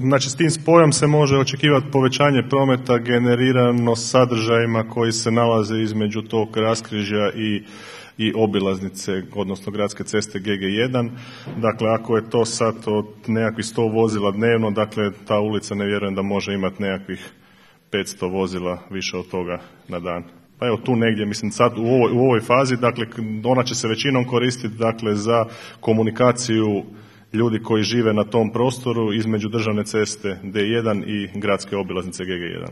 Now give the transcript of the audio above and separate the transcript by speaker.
Speaker 1: Znači s tim spojom se može očekivati povećanje prometa generirano sadržajima koji se nalaze između tog raskrižja i obilaznice, odnosno gradske ceste GG1. Dakle, ako je to sad od nekakvih 100 vozila dnevno, dakle ta ulica ne vjerujem da može imati nekakvih 500 vozila više od toga na dan. Pa evo tu negdje, mislim sad u ovoj fazi, dakle ona će se većinom koristiti dakle za komunikaciju ljudi koji žive na tom prostoru između državne ceste D1 i gradske obilaznice GG1.